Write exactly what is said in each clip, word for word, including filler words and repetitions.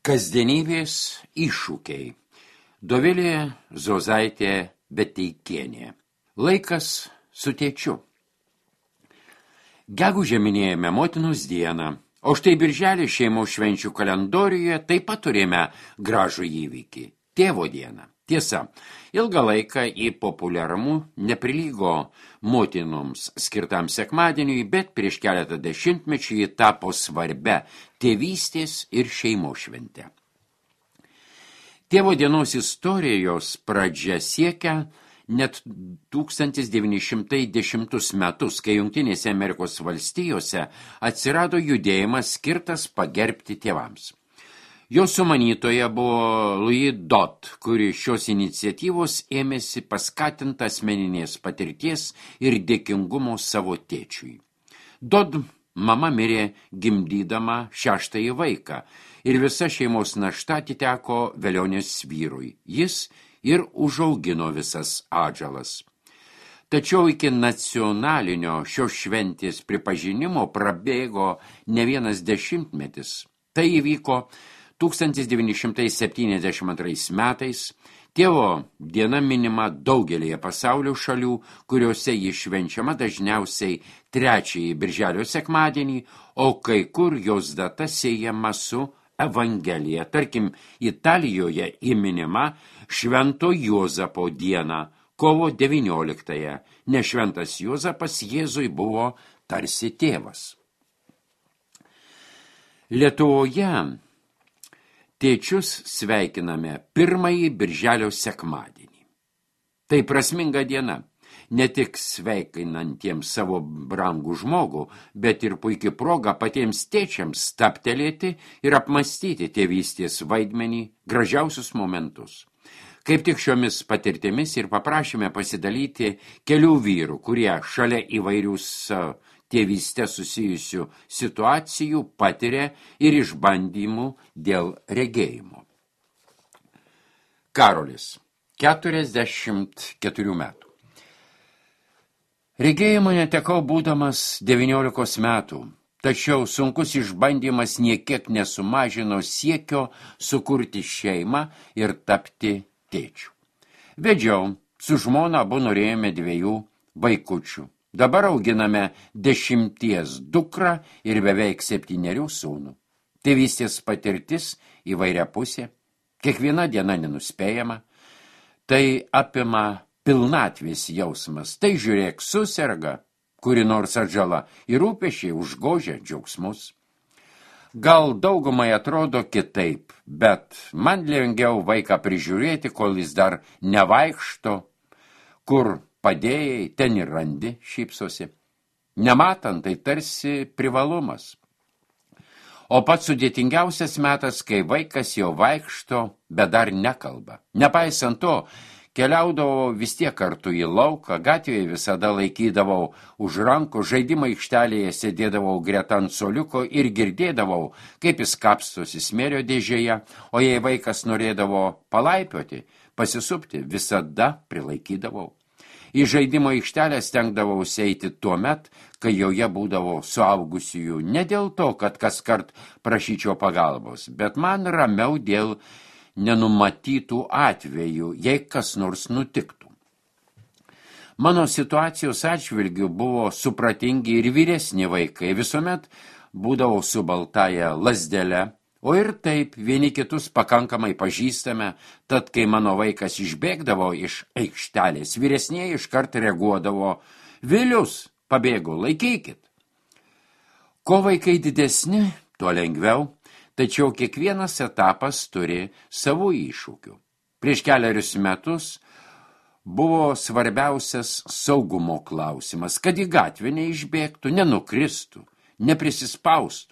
Kasdienybės iššūkiai. Dovilė Zozaitė Beteikienė. Laikas su tėčiu. Gegužę minėjome motinos dieną, o štai birželį šeimos švenčių kalendoriuje taip pat turėjome gražų įvykį – tėvo dieną. Tiesa, ilgą laiką į populiarumų neprilygo motinoms skirtam sekmadieniui, bet prieš keletą dešimtmečių ji tapo svarbia tėvystės ir šeimos švente. Tėvo dienos istorijos pradžia siekia net tūkstantis devyni šimtai dešimtus metus, kai Jungtinėse Amerikos valstijose atsirado judėjimas skirtas pagerbti tėvams. Jo sumanytoja buvo Louis Dodd, kuri šios iniciatyvos ėmėsi paskatinta asmeninės patirties ir dėkingumo savo tėčiui. Dodd mama mirė gimdydama šeštąjį vaiką ir visa šeimos našta atiteko velionės vyrui. Jis ir užaugino visas atžalas. Tačiau iki nacionalinio šios šventės pripažinimo prabėgo ne vienas dešimtmetis. Tai įvyko tūkstantis devyni šimtai septyniasdešimt antrais metais. Tėvo diena minima daugelėje pasaulio šalių, kuriuose ji švenčiama dažniausiai trečiąjį birželio sekmadienį, o kai kur jos data siejama su Evangelija. Tarkim, Italijoje įminima Švento Juozapo diena, kovo devynioliktąją, nes šventas Juozapas Jėzui buvo tarsi tėvas. Lietuvoje tėčius sveikiname pirmąjį birželio sekmadienį. Tai prasminga diena, ne tik sveikinantiems savo brangų žmogų, bet ir puikia proga patiems tėčiams stabtelėti ir apmąstyti tėvystės vaidmenį, gražiausius momentus. Kaip tik šiomis patirtimis ir paprašėme pasidalyti kelių vyrų, kurie šalia įvairių tėvystę susijusių situacijų patiria ir išbandymų dėl regėjimo. Karolis, keturiasdešimt keturių metų. Regėjimo netekau būdamas devyniolikos metų, tačiau sunkus išbandymas niekiek nesumažino siekio sukurti šeimą ir tapti tėčiu. Vedžiau, su žmona abu norėjome dviejų vaikučių. Dabar auginame dešimties dukrą ir beveik septynerių sūnų. Tėvystės patirtis įvairiapusė, kiekviena diena nenuspėjama, tai apima pilnatvės jausmas, tai žiūrėk suserga, kuri nors atžala ir rūpesčiai užgožia džiaugsmus. Gal daugumai atrodo kitaip, bet man lengviau vaiką prižiūrėti, kol jis dar nevaikšto, kur padėjai, ten ir randi, šypsosi. Nematant, tai tarsi privalumas. O pats sudėtingiausias metas, kai vaikas jau vaikšto, bet dar nekalba. Nepaisant to, keliaudavau vis tiek kartu į lauką, gatvėje visada laikydavau už rankų, žaidimo aikštelėje sėdėdavau greta ant suoliuko ir girdėdavau, kaip jis kapstosi smėlio dėžėje, o jei vaikas norėdavo palaipioti, pasisupti, visada prilaikydavau. Į žaidimo aikštelę stengdavausi eiti tuo met, kai joje būdavo suaugusiųjų, ne dėl to, kad kaskart prašyčiau pagalbos, bet man ramiau dėl nenumatytų atvejų, jei kas nors nutiktų. Mano situacijos atžvilgiu buvo supratingi ir vyresni vaikai, visuomet būdavo su baltąja lazdele, o ir taip vieni kitus pakankamai pažįstame, tad kai mano vaikas išbėgdavo iš aikštelės, vyresnieji iškart reaguodavo: Vilius, pabėgo, laikykit. Ko vaikai didesni, tuo lengviau, tačiau kiekvienas etapas turi savų iššūkių. Prieš keliarius metus buvo svarbiausias saugumo klausimas, kad į gatvę neišbėgtų, nenukristų, neprisispaustų.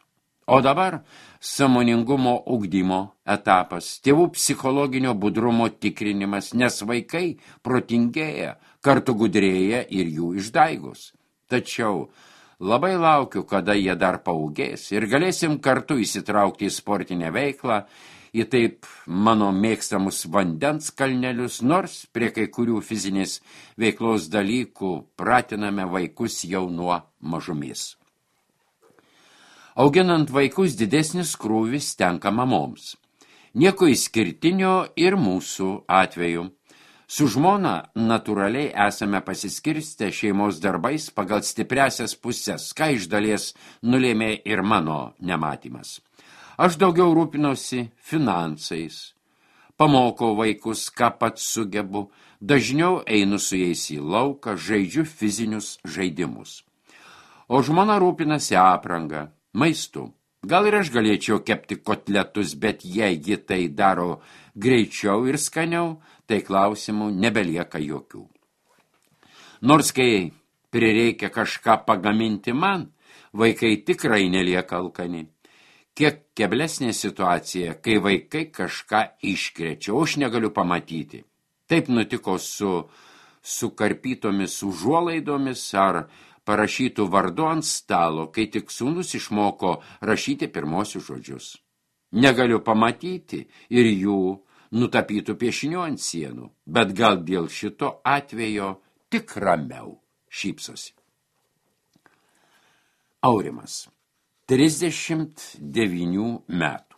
O dabar sąmoningumo ugdymo etapas, tėvų psichologinio budrumo tikrinimas, nes vaikai protingėja, kartu gudrėja ir jų išdaigos. Tačiau labai laukiu, kada jie dar paaugės ir galėsim kartu įsitraukti į sportinę veiklą, į taip mano mėgstamus vandens kalnelius, nors prie kai kurių fizinės veiklos dalykų pratiname vaikus jau nuo mažumės. Auginant vaikus didesnis krūvis tenka mamoms. Nieko išskirtinio ir mūsų atveju. Su žmona natūraliai esame pasiskirstę šeimos darbais pagal stipriasias pusės, ką iš dalies nulėmė ir mano nematymas. Aš daugiau rūpinosi finansais, pamokau vaikus, ką pats sugebu, dažniau einu su jais į lauką, žaidžiu fizinius žaidimus. O žmona rūpinasi aprangą, maistu. Gal ir aš galėčiau kepti kotletus, bet jei ji tai daro greičiau ir skaniau, tai klausimų nebelieka jokių. Nors kai prireikia kažką pagaminti man, vaikai tikrai nelieka alkani. Kiek keblesnė situacija, kai vaikai kažką iškrečia, o aš negaliu pamatyti. Taip nutiko su sukarpytomis užuolaidomis ar parašytų vardu ant stalo, kai tik sūnus išmoko rašyti pirmosius žodžius. Negaliu pamatyti ir jų nutapytų piešinių ant sienų, bet gal dėl šito atvejo tik ramiau šypsosi. Aurimas, trisdešimt devynių metų.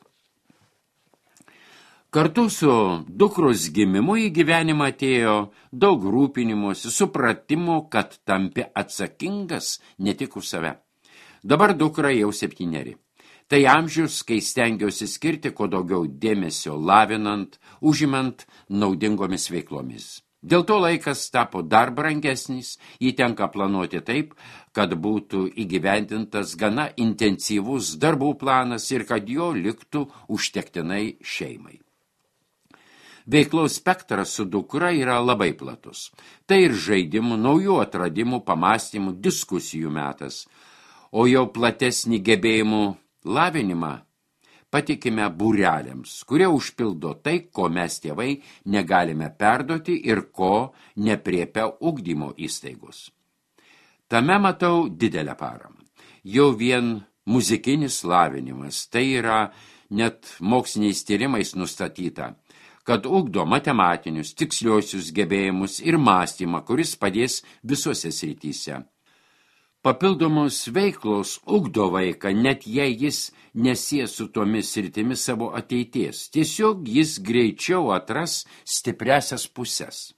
Kartu su dukros gimimu į gyvenimą atėjo daug rūpinimuose, supratimo, kad tampi atsakingas ne tik už save. Dabar dukra jau septyneri. Tai amžius, kai stengiausi skirti kuo daugiau dėmesio lavinant, užimant naudingomis veiklomis. Dėl to laikas tapo dar brangesnis, jį tenka planuoti taip, kad būtų įgyvendintas gana intensyvus darbų planas ir kad jo liktų užtektinai šeimai. Veiklos spektras su dukra yra labai platus. Tai ir žaidimų, naujų atradimų, pamastymų, diskusijų metas. O jau platesnį gebėjimų lavinimą patikime būreliams, kurie užpildo tai, ko mes tėvai negalime perduoti ir ko nepriepia ugdymo įstaigos. Tame matau didelę paramą. Jau vien muzikinis lavinimas, tai yra net moksliniais tyrimais nustatyta, kad ugdo matematinius, tiksliosius gebėjimus ir mąstymą, kuris padės visose srityse. Papildomos veiklos ugdo vaiką, net jei jis nesies su tomis sritimis savo ateities. Tiesiog jis greičiau atras stipriasias pusės.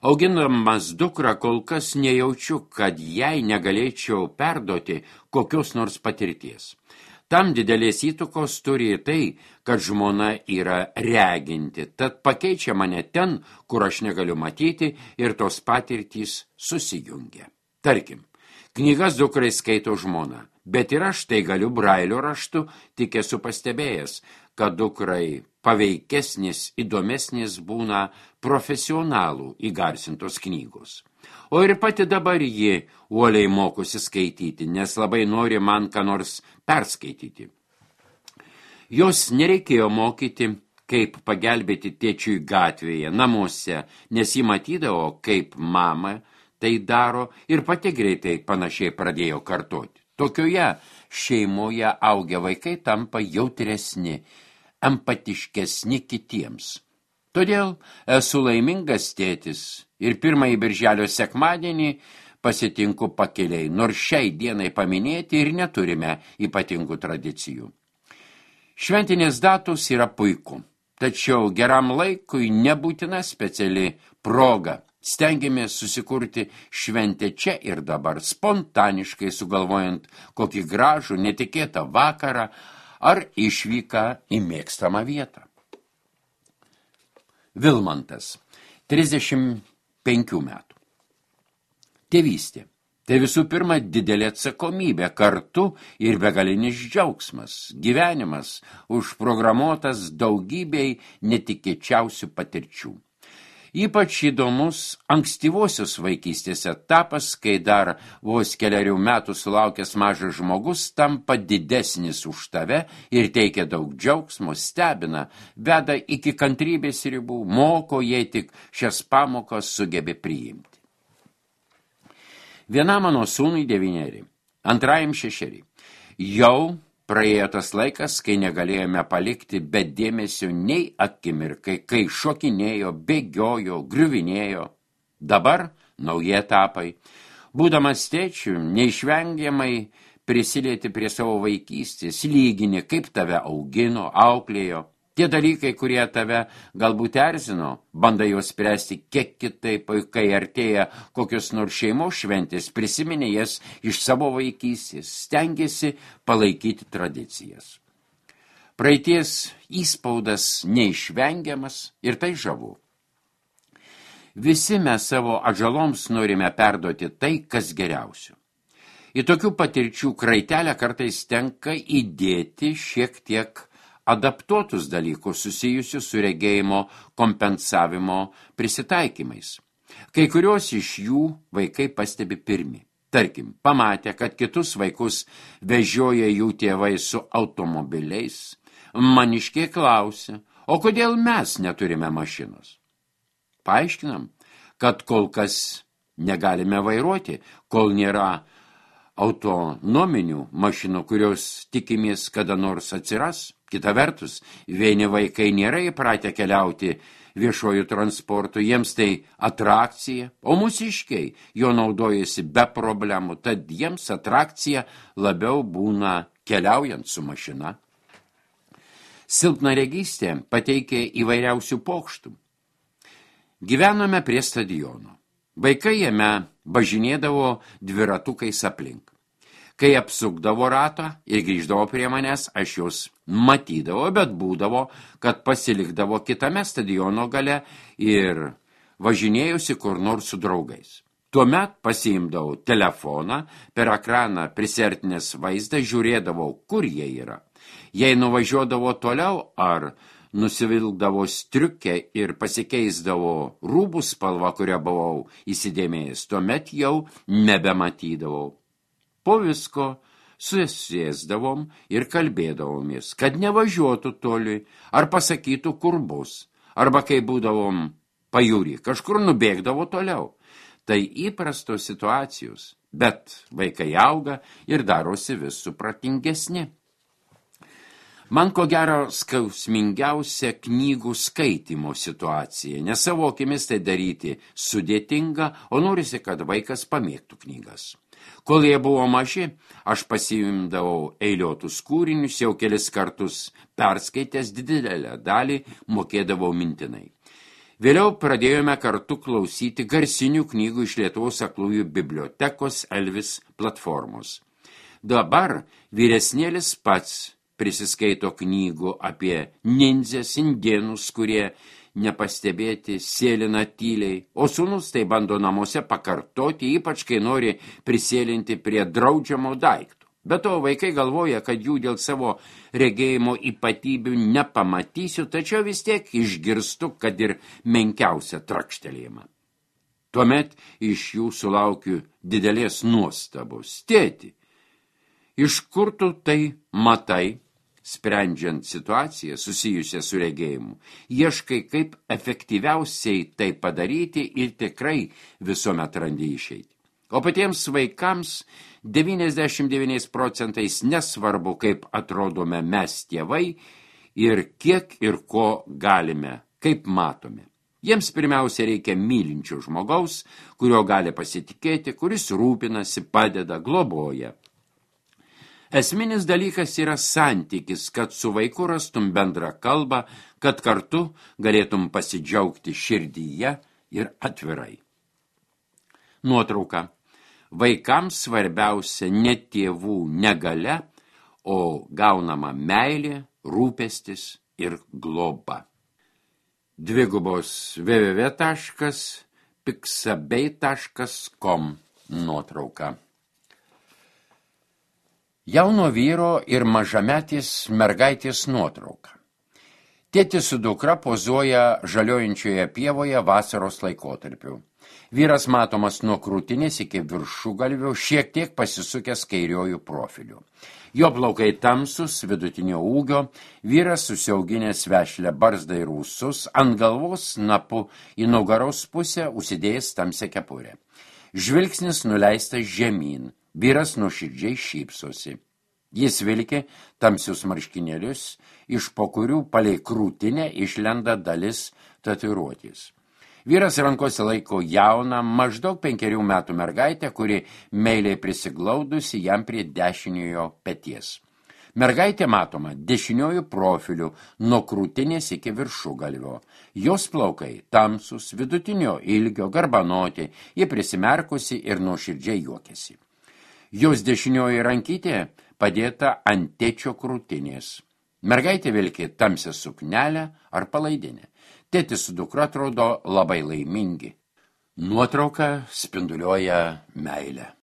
Auginamas dukrą kol kas nejaučiu, kad jai negalėčiau perduoti kokios nors patirties. Tam didelės įtakos turi tai, kad žmona yra reginti, tad pakeičia mane ten, kur aš negaliu matyti ir tos patirtys susijungia. Tarkim, knygas dukrai skaito žmona, bet ir aš tai galiu brailio raštu, tik esu pastebėjęs, kad dukrai paveikesnis, įdomesnis būna profesionalų įgarsintos knygos. O ir pati dabar ji uoliai mokosi skaityti, nes labai nori man ką nors perskaityti. Jos nereikėjo mokyti, kaip pagelbėti tėčiui gatvėje, namuose, nes ji matydavo, kaip mama tai daro ir pati greitai panašiai pradėjo kartoti. Tokioje šeimoje augę vaikai tampa jautresni, empatiškesni kitiems. Todėl esu laimingas tėtis ir pirmąjį birželio sekmadienį pasitinku pakeliai, nors šiai dienai paminėti ir neturime ypatingų tradicijų. Šventinės datos yra puiku, tačiau geram laikui nebūtina speciali proga. Stengiamės susikurti šventę čia ir dabar, spontaniškai sugalvojant kokį gražų, netikėtą vakarą ar išvyką į mėgstamą vietą. Vilmantas, trisdešimt penkių metų. Tėvystė. Tai visų pirma didelė atsakomybė, kartu ir begalinis džiaugsmas, gyvenimas užprogramuotas daugybei netikėčiausių patirčių. Ypač įdomus ankstyvosios vaikystės etapas, kai dar vos keliarių metų sulaukęs mažas žmogus tampa didesnis už tave ir teikia daug džiaugsmo, stebina, veda iki kantrybės ribų, moko, jei tik šias pamokas sugebė priimti. Vienam mano sūnui devyneri, antrajam šešeri. Jau praėjo tas laikas, kai negalėjome palikti be dėmesio nei akimirkai, kai šokinėjo, bėgiojo, griuvinėjo. Dabar nauji etapai. Būdamas tėčiu, neišvengiamai prisilieti prie savo vaikystės, lygini, kaip tave augino, auklėjo. Tie dalykai, kurie tave galbūt erzino, bandai juos spręsti kiek kitaip, kai artėja kokios nors šeimos šventės, prisiminė jas iš savo vaikystės, stengiasi palaikyti tradicijas. Praeities įspaudas neišvengiamas ir tai žavu. Visi mes savo atžaloms norime perduoti tai, kas geriausio. Į tokių patirčių kraitelę kartais tenka įdėti šiek tiek adaptuotus dalykus susijusius su regėjimo kompensavimo prisitaikymais. Kai kurios iš jų vaikai pastebi pirmi. Tarkim, pamatė, kad kitus vaikus vežioja jų tėvai su automobiliais, maniškiai klausia, o kodėl mes neturime mašinos? Paaiškinam, kad kol kas negalime vairuoti, kol nėra autonominių mašinų, kurios tikimės kada nors atsiras. Kita vertus, vieni vaikai nėra įpratę keliauti viešojų transportų, jiems tai atrakcija, o mūsiškiai jo naudojasi be problemų, tad jiems atrakcija labiau būna keliaujant su mašina. Silpnaregystė pateikia įvairiausių pokštų. Gyvenome prie stadiono. Vaikai jame važinėdavo dviratukais aplink. Kai apsukdavo ratą ir grįždavo prie manęs, aš juos matydavo, bet būdavo, kad pasilikdavo kitame stadiono gale ir važinėjusi kur nors su draugais. Tuomet pasiimdavau telefoną, per ekraną prisertinės vaizdą, žiūrėdavau, kur jie yra. Jei nuvažiuodavo toliau ar nusivilkdavo striukę ir pasikeisdavo rūbų spalvą, kurią buvau įsidėmėjęs, tuomet jau nebematydavau. Po visko susėsdavom ir kalbėdavomės, kad nevažiuotų toli, ar pasakytų, kur bus, arba kai būdavom pajūrį, kažkur nubėgdavo toliau. Tai įprastos situacijos, bet vaikai auga ir darosi vis supratingesni. Man ko gero skausmingiausia knygų skaitymo situacija, nes savo akimis tai daryti sudėtinga, o norisi, kad vaikas pamėgtų knygas. Kol jie buvo maži, aš pasiimdavau eiliuotus kūrinius, jau kelis kartus perskaitęs didelę dalį mokėdavau mintinai. Vėliau pradėjome kartu klausyti garsinių knygų iš Lietuvos aklųjų bibliotekos Elvis platformos. Dabar vyresnėlis pats prisiskaito knygų apie nindzes, indėnus, kurie nepastebėti, sėlina tyliai, o sūnus tai bando namuose pakartoti, ypač kai nori prisėlinti prie draudžiamo daiktų. Be to, vaikai galvoja, kad jų dėl savo regėjimo ypatybių nepamatysiu, tačiau vis tiek išgirstu, kad ir menkiausią trakštelėjimą. Tuomet iš jų sulaukiu didelės nuostabos. Tėti, iš kur tu tai matai? Sprendžiant situaciją susijusią su regėjimu, ieškai, kaip efektyviausiai tai padaryti ir tikrai visuomet randi išeitį. O patiems vaikams devyniasdešimt devyniais procentais nesvarbu, kaip atrodome mes tėvai ir kiek ir ko galime, kaip matome. Jiems pirmiausia reikia mylinčio žmogaus, kurio gali pasitikėti, kuris rūpinasi, padeda, globoja. Esminis dalykas yra santykis, kad su vaiku rastum bendrą kalbą, kad kartu galėtum pasidžiaugti širdyje ir atvirai. Nuotrauka. Vaikams svarbiausia ne tėvų negalia, o gaunama meilė, rūpestis ir globa. Dvigubos w w w taškas piksabei taškas com nuotrauka. Jauno vyro ir mažametės mergaitės nuotrauka. Tėtis su dukra pozuoja žaliojančioje pievoje vasaros laikotarpiu. Vyras matomas nuo krūtinės iki viršugalvio, šiek tiek pasisukęs kairiojų profiliu. Jo plaukai tamsus, vidutinio ūgio, vyras susiauginęs vešlę barzdą ir ūsus, ant galvos snapu į nugaros pusę užsidėjęs tamsią kepurę. Žvilgsnis nuleistas žemyn. Vyras nuoširdžiai šypsosi. Jis vilkė tamsius marškinėlius, iš po kurių palei krūtinę išlenda dalis tatuiruotės. Vyras rankose laiko jauną, maždaug penkerių metų mergaitę, kuri meiliai prisiglaudusi jam prie dešiniojo peties. Mergaitė matoma dešiniojų profilių nuo krūtinės iki viršugalvio. Jos plaukai tamsus, vidutinio ilgio, garbanoti, ji prisimerkusi ir nuoširdžiai juokiasi. Jos dešinioji rankytė padėta ant tėčio krūtinės. Mergaitė vilki tamsią suknelę ar palaidinę. Tėtis su dukra atrodo labai laimingi. Nuotrauka spinduliuoja meilę.